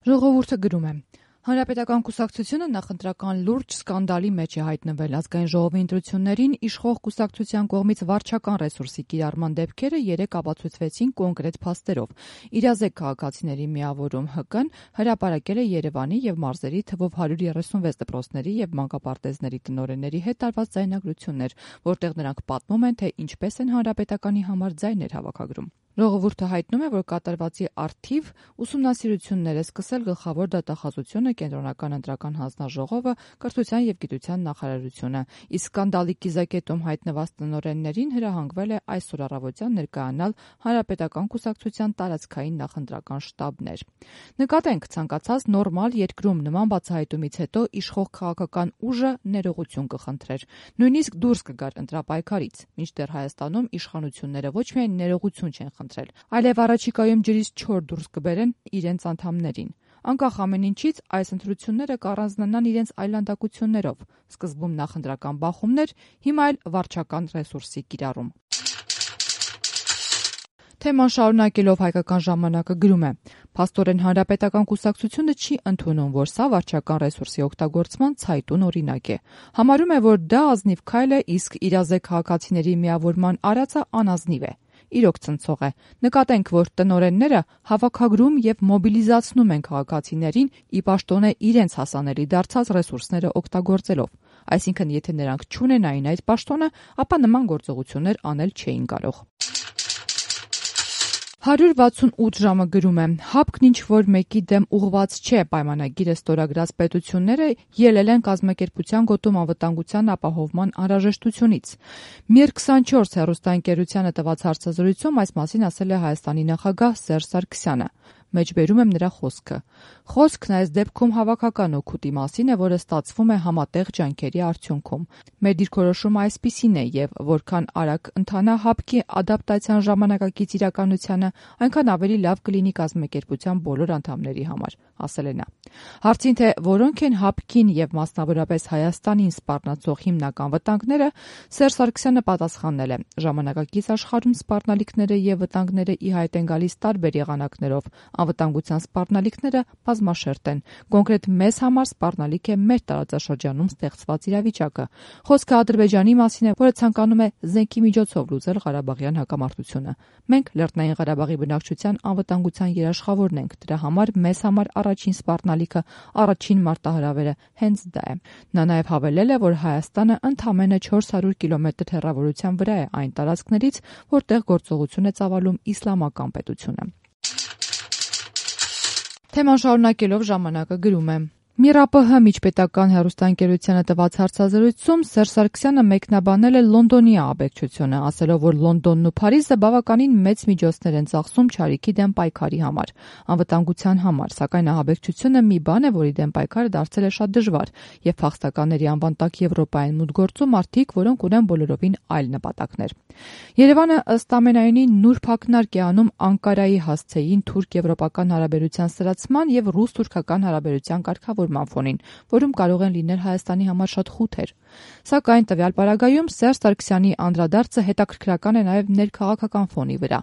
Ժողովուրդը գրում է. Հանրապետական կուսակցությունը նախընտրական լուրջ սկանդալի մեջ է հայտնվել։ Ազգային ժողովի ընտրություններին իշխող կուսակցության կողմից վարչական ռեսուրսի կիրառման դեպքերը երեկ ապացուցվեցին կոնկրետ փաստերով։ Իրազեկ քաղաքացիների միավորում ՀԿ-ն հրապարակել է Երևանի եւ մարզերի թվով 136 դպրոցների եւ մանկապարտեզների տնօրենների հետ տարված ձայնագրություններ, որտեղ նրանք պատմում են, թե ինչպես են հանրապետականի համար ձայներ հավաքագրում։ Ժողովուրդը հայտնում է, որ կատարվածի առթիվ ուսումնասիրություններ է սկսել Գլխավոր դատախազությունը, Կենտրոնական ընտրական հանձնաժողովը, Կրթության եւ գիտության նախարարությունը, իսկ սկանդալի կիզակետում հայտնված տնօրեններին հրահանգվել է այսօր առավոտյան ներկայանալ Հանրապետական կուսակցության տարածքային նախընտրական շտաբներ։ Նկատենք, ցանկացած նորմալ երկրում նման բացահայտումից հետո իշխող քաղաքական ուժը ներողություն կխնդրեր, նույնիսկ դուրս կգար ընտրապայքարից, մինչդեռ Հայաստանում իշխանությունները ոչ միայն ներողություն չեն խնդրել, այլև առաջիկայում ջրից չոր դուրս կբերեն իրենց անդամներին։ Անկախ ամեն ինչից, այս ընտրությունները կառանձնանան իրենց այլանդակություններով, սկզբում նախընտրական բախումներ, հիմա էլ վարչական ռեսուրսի կիրառում։ Թեման շարունակելով Հայկական ժամանակը գրում է. Փաստորեն Հանրապետական կուսակցությունը չի ընդունում, որ սա վարչական ռեսուրսի օգտագործման ցայտուն օրինակ է։ Համարում է, որ դա ազնիվ քայլ է, իսկ իրազեկ քաղաքացիների միավորման արածը անազնիվ է։ Իրոք ցնցող է։ Նկատենք, որ տնօրենները հավաքագրում եւ մոբիլիզացնում են քաղաքացիներին ի պաշտոնե իրենց հասանելի դարձած ռեսուրսները օգտագործելով։ Այսինքն, եթե նրանք չունենային այդ պաշտոնը, ապա նման գործողություններ անել չէին կարող։ 168 ժամը գրում է. Հապկն ինչ որ մեկի դեմ ուղված չէ, պայմանագիրը ստորագրած պետությունները ելել են կազմակերպության գոտում անվտանգության ապահովման անհրաժեշտությունից։ Mir24 հեռուստաընկերությանը տված հարցազրույցում այս մասին ասել է Հայաստանի նախագահ Սերժ Սարգսյանը։ Մեջբերում եմ նրա խոսքը։ Խոսքն այս դեպքում հավաքական օգուտի մասին է, որը ստացվում է համատեղ ջանքերի արդյունքում։ Մեր դիրքորոշումը այսպիսին է եւ որքան արագ ընթանա հապկի ադապտացիան ժամանակակից իրականությանը, այնքան ավելի լավ կլինի կազմակերպության բոլոր անդամների համար, ասել է նա։ Հարցին, թե որոնք են հապկին եւ մասնավորապես Հայաստանին սպառնացող հիմնական վտանգները, Սերժ Սարգսյանը պատասխանել է. ժամանակակից աշխարհում սպառնալիքները եւ վտանգները ի հայտ են գալիս տարբեր եղանակներով։ Անվտանգության սպառնալիքները բազմաշերտ են։ Կոնկրետ մեզ համար սպառնալիք է մեր տարածաշրջանում ստեղծված իրավիճակը։ Խոսքը Ադրբեջանի մասին է, որը ցանկանում է զենքի միջոցով լուծել Ղարաբաղյան հակամարտությունը։ Մենք Լեռնային Ղարաբաղի բնակչության անվտանգության երաշխավորն ենք։ Դրա համար մեզ համար առաջին սպառնալիքը, առաջին մարտահրավերը հենց դա է։ Նա նաև հավելել է, որ Հայաստանը ընդամենը 400 կիլոմետր հեռավորության վրա է այն տարածքներից, որտեղ գործողություն է ծավալում իսլամական պետությունը։ Թեման շարունակելով ժամանակը գրում է. ՄԻՌԱՊՀ միջպետական հեռուստաընկերությանը տված հարցազրույցում Սերժ Սարգսյանը մեկնաբանել է Լոնդոնի ահաբեկչությունը, ասելով, որ Լոնդոնն ու Փարիզը բավականին մեծ միջոցներ են ծախսում չարիքի դեմ պայքարի համար, անվտանգության համար, սակայն ահաբեկչությունը մի բան է, որի դեմ պայքարը դարձել է շատ դժվար, եւ փախստականների անվան տակ Եվրոպային մուտք գործում մարդիկ, որոնք ունեն բոլորովին այլ նպատակներ։ Երևանը ըստ ամենայնի նուրբ ակնարկ է անում Անկարայի հասցեին թուրք-եվրոպական հարաբերության սրացման եւ ռուս-թուրքական հարաբերության կարգավորման ֆոնին, որում կարող են լինել Հայաստանի համար շատ խութեր։ Սակայն տվյալ պարագայում Սերժ Սարգսյանի անդրադարձը հետաքրքրական է նաև ներքաղաքական ֆոնի վրա,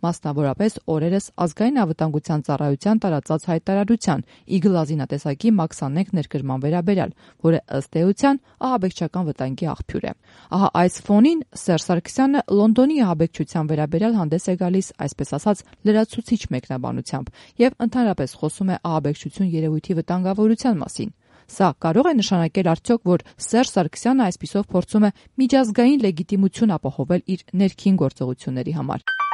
մասնավորապես օրերս ազգային անվտանգության ծառայության տարածած հայտարարության Eagle ազինատեսակի մաքսանենգ ներկրման վերաբերյալ, որը ըստ էության ահաբեկչական վտանգի աղբյուր է։ Ահա այս ֆոնին Սերժ Սարգսյանը Լոնդոնի ահաբեկչության վերաբերյալ հանդես է գալիս, այսպես ասած, լրացուցիչ մեկնաբանությամբ եւ ընդհանրապես խոսում է ահաբեկչություն երևույթի վտանգավորության մասին։ Սա կարող է նշանակել արդյոք, որ Սերժ Սարգսյանը այսպիսով փորձում է միջազգային լեգիտիմություն ապահովել իր ներքին գործողությունների համար։